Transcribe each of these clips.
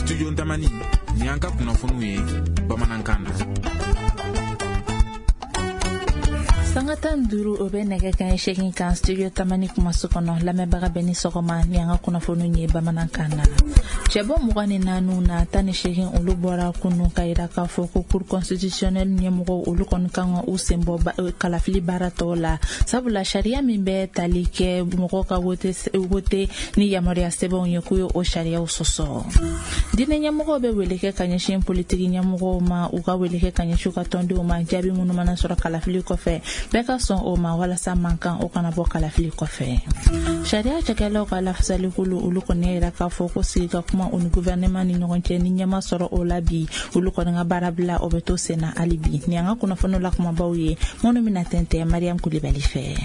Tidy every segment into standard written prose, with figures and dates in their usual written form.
Studio Tamani, ni an ka kunnafoniw ye bamanankan na. Sanga 15, o bɛ nɛgɛ kanɲɛ 8 kan Studio Tamani kumaso kɔnɔ. Lamɛnbaga bɛ ni sɔgɔma, ni an ka kunnafoniw ye bamanankan na. Cɛbɔ 24 na, 18 olu bɔra kunun ka yira k'a fɔ ko Cour constitutionnelle ɲɛmɔgɔw, olu kɔni kan ka u sen bɔ kalafili baara tɔw la, sabula sariya min bɛ tali kɛ mɔgɔw ka wote ni yamaruya sɛbɛnw ye, k'u ye o sariyaw sɔsɔ. Diinɛ ɲɛmɔgɔw bɛ wele kɛ ka ɲɛsin politiki ɲɛmɔgɔw ma, u ka wele kɛ ka ɲɛsin u ka tɔndenw ma, jaabi minnu mana sɔrɔ kalafili kɔfɛ, bɛɛ ka sɔn o ma, walasa mankan o kana bɔ kalafili kɔfɛ. Sariya cakɛlaw ka lafasalikulu, olu kɔni y'a yira k'a fɔ ko sigi ka kuma u ni gouvernement ni ɲɔgɔn cɛ, ni ɲɛma sɔrɔ o la bi, olu kɔni ka baara bila, o bɛ to senna hali bi. Ni an ka kunnafoniw la kumabaw ye minnu bɛna tɛntɛn Mariam Kulibali fɛ.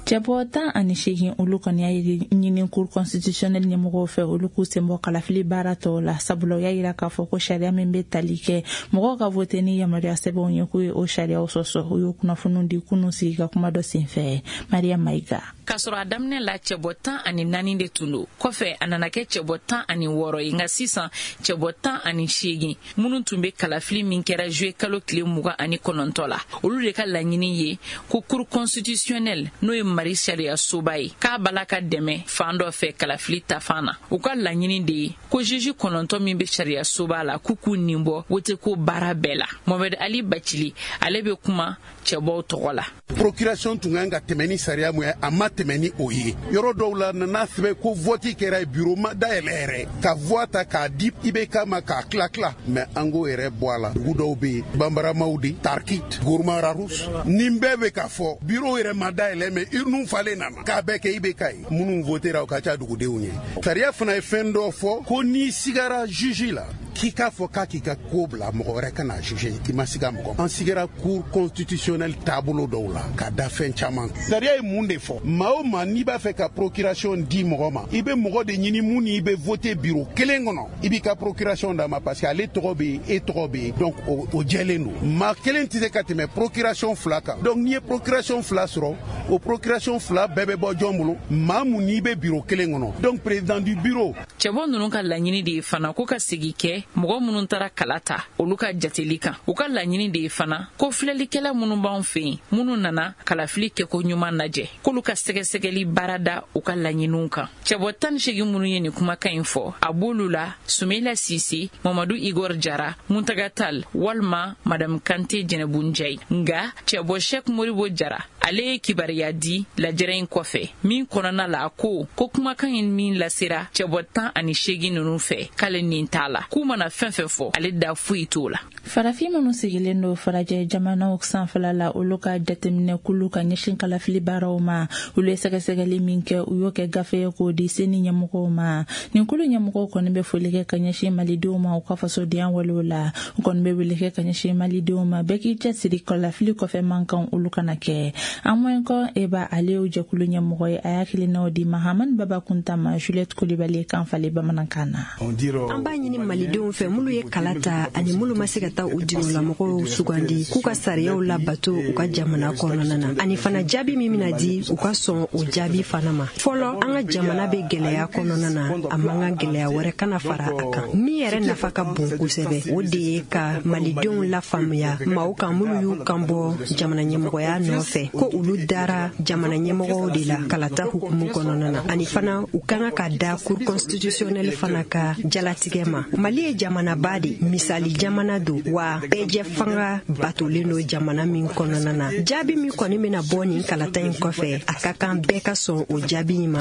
Cɛbɔ 18, olu kɔni y'a ɲini Cour constitutionnelle ɲɛmɔgɔw fɛ, olu k'u sen bɔ kalafili baara tɔw la, sabula u y'a yira k'a fɔ ko sariya min bɛ tali kɛ mɔgɔw ka vote ni yamaruya sɛbɛnw ye, k'u ye o sariyaw sɔsɔ. U y'o kunnafoniw di kunun sigi ka kuma dɔ senfɛ. Mariam Mayiga. K'a sɔrɔ a daminɛ la, cɛbɔ 14 de tun don, kɔfɛ a nana kɛ cɛbɔ 16 ye, nka sisan cɛbɔ 18 minnu tun bɛ kalafili min kɛra juillet kalo tile 29 la, olu de ka laɲini ye ko Cour constitutionnelle, n'o ye Mali sariya soba ye, k'a bala ka dɛmɛ fan dɔ fɛ kalafili tafan na. U ka laɲini de ye ko juge 9 min bɛ sariya soba la, k'u k'u nin bɔ wote ko baara bɛɛ la. Mohamed Ali Bacili, ale bɛ kuma cɛbɔw tɔgɔ la. Procuration tun kan ka tɛmɛ ni sariya mun ye, a ma tɛmɛ ni o ye. Yɔrɔ dɔw la, nana sɛbɛn ko vote kɛra ye, bureau ma dayɛlɛ yɛrɛ, ka voix ta k'a di IBK ma, k'a tila tila. Mais an k'o yɛrɛ bɔ a la. Dugu dɔw bɛ yen, Banbaramaw de, Tarkit, Gourma Rharous, nin bɛɛ bɛ ka fɔ bureau yɛrɛ ma dayɛlɛ, mais urne falen nana k'a bɛɛ kɛ IBK ye. Minnu votera, o ka ca dugudenw ye. Sariya fana ye fɛn dɔ fɔ ko n'i sigara juge la, k'i k'a fɔ k'a k'i ka ko bila mɔgɔ wɛrɛ ka na juge, k'i ma siga mɔgɔ. An sigara Cour constitutionnelle taabolo dɔw la ka da fɛn caman. Sariya ye mun de fɔ? Maa o maa n'i b'a fɛ ka procuration di mɔgɔ ma, i bɛ mɔgɔ de ɲini mun ni i bɛ voter bureau kelen kɔnɔ, i b'i ka procuration d'a ma, parce que ale tɔgɔ bɛ yen, e tɔgɔ bɛ yen, donc o jɛlen don. Maa kelen tɛ se ka tɛmɛ procuration fila kan. Donc n'i ye procuration fila sɔrɔ, o procuration fila bɛɛ bɛ bɔ jɔn bolo? Maa mun n'i bɛ bureau kelen kɔnɔ, donc président du bureau. Cɛbɔ ninnu ka laɲini de ye fana ko ka segi kɛ mɔgɔ minnu taara kala ta, olu ka jateli kan. U ka laɲini de ye fana ko filɛlikɛla minnu b'anw fɛ yen, minnu nana kalafili kɛko ɲuman lajɛ, k'olu ka sɛgɛsɛgɛli baara da u ka laɲiniw kan. Cɛbɔ 18 minnu ye nin kumakan in fɔ, a b'olu la Sumela Sise, Mamadu Igor Jara, Muntaga Tal walima Madame Kante Jɛnɛbu Njayi. Nka cɛbɔ Shek Moribo Jara, ale ye kibaruya di lajɛrɛ in kɔfɛ min kɔnɔna la, a ko ko kumakan in min lasera cɛbɔ 18 ninnu fɛ, k'ale nin t'a la, k'u mana fɛn fɛn fɔ, ale da foyi t'o la. Farafin minnu sigilen don farajɛ jamanaw sanfɛla la, olu ka jateminɛ kulu ka ɲɛsin kalafili baaraw ma, olu ye sɛgɛsɛgɛli min kɛ, u y'o kɛ gafe ye k'o di CENI ɲɛmɔgɔw ma. Nin kulu ɲɛmɔgɔw kɔni bɛ foli kɛ ka ɲɛsin malidenw ma u ka fasodenya walew la. U kɔni bɛ wele kɛ ka ɲɛsin malidenw ma, bɛɛ k'i cɛsiri, kalafili kɔfɛ mankan, olu kana kɛ. Amoyinkɔ Eba, ale y'o jɛkulu ɲɛmɔgɔ ye. A y'a hakilinaw di Mahamani Baba Kunta ma, Juliette Kulibali kan falen bamanankan na. An b'a ɲini malidenw fɛ, minnu ye kala ta ani minnu ma se ka taa u jigilamɔgɔw sugandi, k'u ka sariyaw labato u ka jamana kɔnɔna na, ani fana jaabi min bɛna di, u ka sɔn o jaabi fana ma. Fɔlɔ, an ka jamana bɛ gɛlɛya kɔnɔna na, a man kan gɛlɛya wɛrɛ kana fara a kan. Min yɛrɛ nafa ka bon kosɛbɛ, o de ye ka malidenw lafaamuya maaw kan minnu y'u kan bɔ jamana ɲɛmɔgɔya nɔfɛ, ko olu dara jamana ɲɛmɔgɔw de la kalata hukumu kɔnɔna na, ani fana u ka kan ka da Cour constitutionnelle fana ka jalatigɛ ma. Mali ye jamanaba de, misali jamana don wa, bɛɛjɛ fanga batolen don jamana min kɔnɔna na. Jaabi min kɔni bɛna bɔ nin kalata in kɔfɛ, a ka kan bɛɛ ka sɔn o jaabi in ma.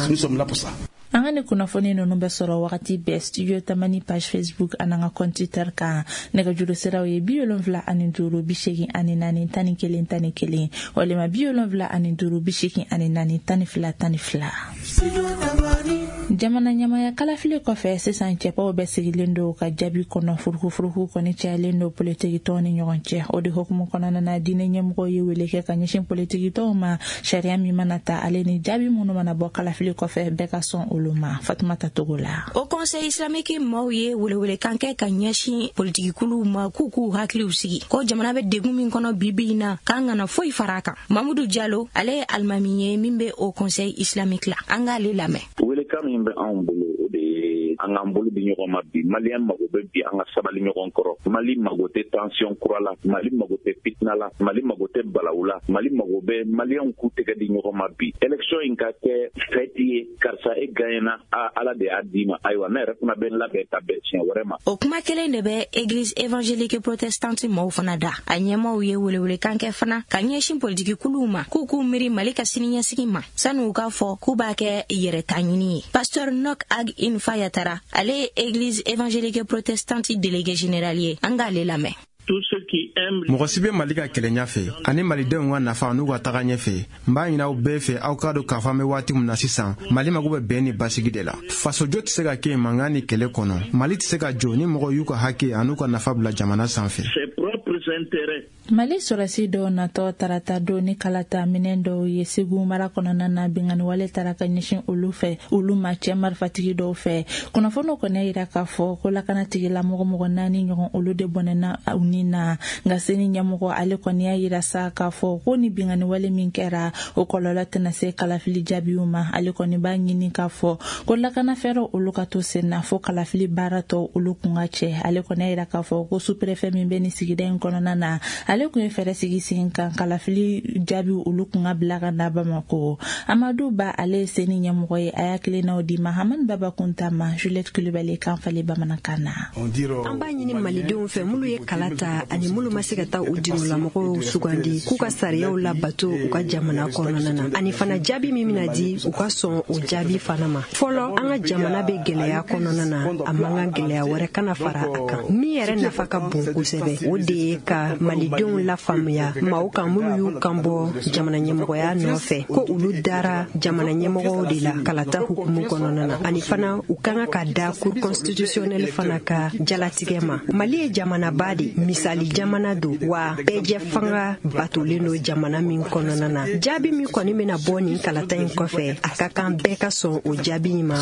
An ka ni kunnafoni ninnu bɛ sɔrɔ wagati bɛɛ Studio Tamani page Facebook ani an ka compte Twitter kan. Nɛgɛjuru siraw ye 75 84 11 11 walima 75 84 12 12. Jamana ɲamaya kalafili kɔfɛ, sisan cɛbaw bɛɛ sigilen don ka jaabi kɔnɔ. Furukufuruku kɔni cayalen don politikitɔnw ni ɲɔgɔn cɛ. O de hukumu kɔnɔna na, diinɛ ɲɛmɔgɔw ye wele kɛ ka ɲɛsin politikitɔnw ma, sariya min mana ta, ale ni jaabi minnu mana bɔ kalafili kɔfɛ, bɛɛ ka sɔn olu ma. Fatumata Togo la. Haut Conseil islamique maaw ye welewelekan kɛ ka ɲɛsin politikikuluw ma, k'u k'u hakiliw sigi, ko jamana bɛ degun min kɔnɔ bi bi in na, k'an kana foyi fara a kan. Mamudu Jalo, ale ye alimami ye min bɛ Haut Conseil islamique la. An k'ale lamɛn. Welekan min bɛ anw bolo, o de ye An k'an bolo di ɲɔgɔn ma bi. Maliyɛn mago bɛ bi an ka sabali ɲɔgɔn kɔrɔ. Mali mago tɛ tension kura la, Mali mago tɛ fitina la, Mali mago tɛ balawu la. Mali mago bɛ maliyɛnw k'u tɛgɛ di ɲɔgɔn ma bi. Élection in ka kɛ fête ye. Karisa, e gagnena, a Ala de y'a d'i ma. Ayiwa, ne yɛrɛ fana bɛ n labɛn ka bɛn siɲɛ wɛrɛ ma. O kuma kelen de bɛ Église évangélique protestante mɔɔw fana da. A ɲɛmaw ye welewelekan kɛ fana ka ɲɛsin politiki kuluw ma, k'u k'u miiri Mali ka siniɲɛsigi ma sani u k'a fɔ k'u b'a kɛ yɛrɛta ɲini ye. Pasteur Nok Ag Infa Yatara, ale ye Église évangélique protestante délégué général ye. An k'ale lamɛn. Mɔgɔ si bɛ Mali ka kɛlɛɲa fɛ ani malidenw ka nafa n'u ka taga ɲɛfɛ, n b'a ɲini aw bɛɛ fɛ, aw k'a dɔn k'a fɔ an bɛ waati min na sisan, Mali mago bɛ bɛn ni basigi de la. Fasojɔ tɛ se ka kɛ mankan ni kɛlɛ kɔnɔ. Mali tɛ se ka jɔ ni mɔgɔ y'u ka hakɛ an'u ka nafa bila jamana sanfɛ. Mali sɔrɔsi dɔw natɔ tarata don ni kalata minɛn dɔw ye Segu mara kɔnɔna na, binganiwale tara ka ɲɛsin olu fɛ, olu ma cɛ marifatigi dɔw fɛ. Kunnafoniw kɔni yira k'a fɔ ko lakana tigilamɔgɔ mɔgɔ naani ɲɔgɔn, olu de bɔnɛna u ni na. Nka CENI ɲɛmɔgɔ, ale kɔni y'a yira sa k'a fɔ ko ni binganiwale min kɛra, o kɔlɔlɔ tɛna se kalafili jaabiw ma. Ale kɔni b'a ɲini k'a fɔ ko lakana fɛɛrɛw, olu ka to sen na fo kalafili baara tɔw olu kun ka cɛ. Ale kɔni y'a yira k'a fɔ ko sous-préfet min bɛ nin sigida in kɔnɔna na, ale kun ye fɛɛrɛ sigi sen kan kalafili jaabiw olu kun ka bila ka na Bamako. Amadu Ba, ale ye CENI ɲɛmɔgɔ ye. A y'a kelennaw di Mahamani Baba Kunta ma, Juliette Kulibali kan falen bamanankan na. An b'a ɲini malidenw fɛ, minnu ye kala ta ani minnu ma se ka taa u diolamɔgɔw sugandi, k'u ka sariyaw labato u ka jamana kɔnɔna na, ani fana jaabi min bɛna di, u ka sɔn o jaabi fana ma. Fɔlɔ, an ka jamana bɛ gɛlɛya kɔnɔna na, a man kan gɛlɛya wɛrɛ kana fara a kan. Min yɛrɛ nafa ka bon kosɛbɛ, o de ye ka malidenw lafaamuya maaw kan minnu y'u kan bɔ jamana ɲɛmɔgɔya nɔfɛ, ko olu dara jamana ɲɛmɔgɔw de la kalata hukumu kɔnɔna na, ani fana u ka kan ka da Cour constitutionnelle fana ka jalatigɛ ma. Mali ye jamanaba de, misali jamana don wa, bɛɛjɛ fanga batolen don jamana min kɔnɔna na. Jaabi min kɔni bɛna bɔ nin kalata in kɔfɛ, a ka kan bɛɛ ka sɔn o jaabi in ma.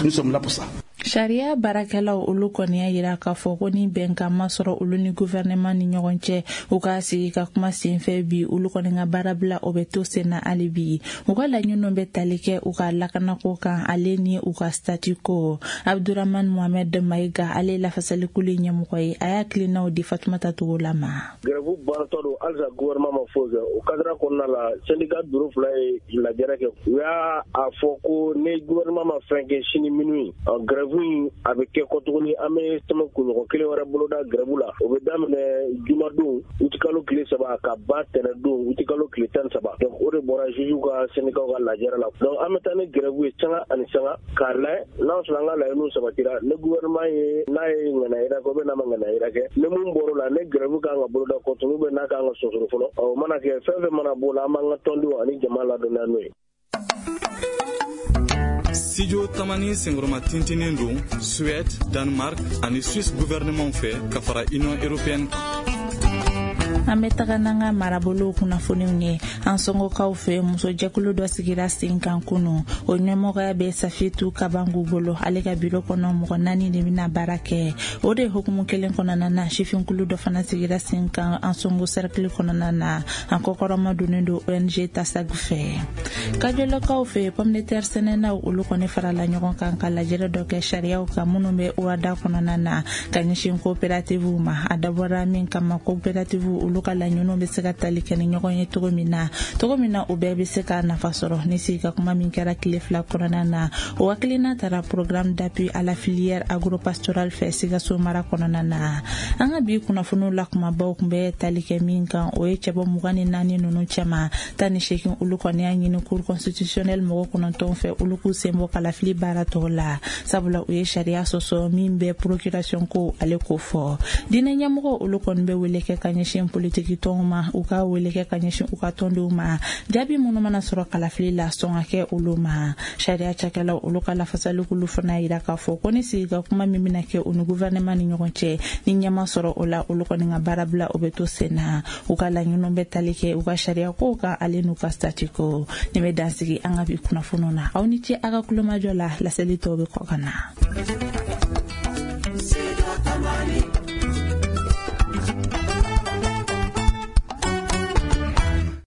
Sariya baarakɛlaw, olu kɔni y'a yira k'a fɔ ko ni bɛnkan ma sɔrɔ olu ni gouvernement ni ɲɔgɔn cɛ u ka sigi ka kuma senfɛ bi, olu kɔni ka baara bila, o bɛ to sen na hali bi. U ka laɲiniw bɛ tali kɛ u ka lakanako kan, ale ni u ka statut ko. Abdurahman Mohamed Mayiga, ale ye lafasalikulu ɲɛmɔgɔ ye. A y'a tilennaw di Fatumata Togola ma. Grève baratɔ don halisa, gouvernement ma foyi kɛ. O cadre kɔnɔna la, syndicat bureau fila ye lajɛrɛ kɛ. U y'a a fɔ ko ni gouvernement ma fɛn kɛ sini minuit, grève in a bɛ kɛ kɔ tuguni. An bɛ tɛmɛ kunɲɔgɔn kelen wɛrɛ boloda grève la. O bɛ daminɛ jumadon utikalo tile 3 ka ban tɛnɛdon utikalo tile 13. Donc o de bɔra juge ka syndicat ka lajɛrɛ la. Donc an bɛ taa ni grève ye sanga ani sanga k'a layɛ n'a sɔrɔ an ka laɲiniw sabatira. Ni gouvernement ye n'a ye ŋaniya yira kɛ ou bien n'a ma ŋaniya yira kɛ, ni mun bɔr'o la, ni grève kan ka boloda kɔ tuguni ou bien n'a kan ka sonsoro fɔlɔ, o mana kɛ, fɛn fɛn mana b'o la, an b'an ka tɔndenw ani jama ladɔnniya n'o ye. Studio Tamani senkɔrɔma tintinen don Suède, Danemark ani Suisse gouvernement fɛ ka fara Union européenne kan. An bɛ taga n'an ka marabolow kunnafoniw ye. An sɔngɔkaw fɛ, musojɛkulu dɔ sigira sen kan kunu. O ɲɛmɔgɔya bɛ Safiyetu Kabangu bolo. Ale ka biro kɔnɔ, mɔgɔ naani de bɛna baara kɛ. O de hukumu kelen kɔnɔna na, sifinkulu dɔ fana sigira sen kan an sɔngo cercle kɔnɔna na. An kɔkɔrɔma donnen don ONG Tasag fɛ. Kajɔlɔkaw fɛ, pomme de terre sɛnɛnaw, olu kɔni farala ɲɔgɔn kan ka lajɛrɛ dɔ kɛ sariyaw kan minnu bɛ OHADA kɔnɔna na ka ɲɛsin coopérative ma. A dabɔra min kama, coopérative olu ka laɲiniw bɛ se ka tali kɛ ni ɲɔgɔn ye cogo min na, u bɛɛ bɛ se ka nafa sɔrɔ. Ni sigi ka kuma min kɛra tile 2 kɔnɔna na, o hakilina tara Programme d'appui à la filière agropastorale fɛ Sikaso mara kɔnɔna na. An ka bi kunnafoniw la kumabaw tun bɛ tali kɛ min kan, o ye cɛbɔ 24 ninnu cɛma, 18, olu kɔni y'a ɲini Cour constitutionnelle mɔgɔ 9 fɛ, olu k'u sen bɔ kalafili baara tɔw la, sabula u ye sariya sɔsɔ min bɛ procuration ko ale ko fɔ. Diinɛ ɲɛmɔgɔ, olu kɔni bɛ wele kɛ ka ɲɛsin politiki tɔnw ma, u ka wele kɛ ka ɲɛsin u ka tɔndenw ma, jaabi minnu mana sɔrɔ kalafili la, sɔn ka kɛ olu ma. Sariya cakɛlaw, olu ka lafasalikulu fana yira k'a fɔ ko ni sigi ka kuma min bɛna kɛ u ni gouvernement ni ɲɔgɔn cɛ, ni ɲɛma sɔrɔ o la, olu kɔni ka baara bila, o bɛ to sen na. U ka laɲiniw bɛ tali kɛ u ka sariya kow kan, ale n'u ka statut ko. Nin bɛ dansigi an ka bi kunnafoniw na. Aw ni ce a ka kulomajɔ la. Laseli tɔw bɛ kɔ ka na.